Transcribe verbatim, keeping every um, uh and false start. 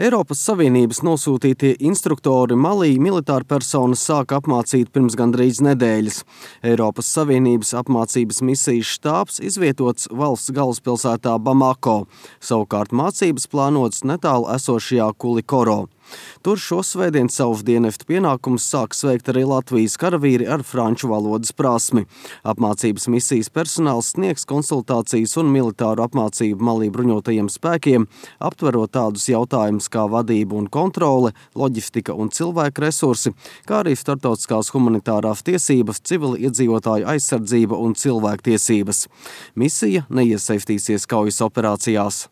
Eiropas Savienības nosūtītie instruktori Malī militāru personas sāka apmācīt pirms gandrīz nedēļas. Eiropas Savienības apmācības misijas štābs izvietots valsts galvaspilsētā Bamako, savukārt mācības plānotas netālu esošajā Kulikoro. Tur šosvētdien savus dienestu pienākumus sāks veikt arī Latvijas karavīri ar franču valodas prasmi. Apmācības misijas personāls sniegs konsultācijas un militāru apmācību Malī bruņotajiem spēkiem, aptverot tādus jautājumus kā vadība un kontrole, loģistika un cilvēku resursi, kā arī starptautiskās humanitārās tiesības, civili iedzīvotāju aizsardzība un cilvēktiesības. Misija neiesaistīsies kaujas operācijās.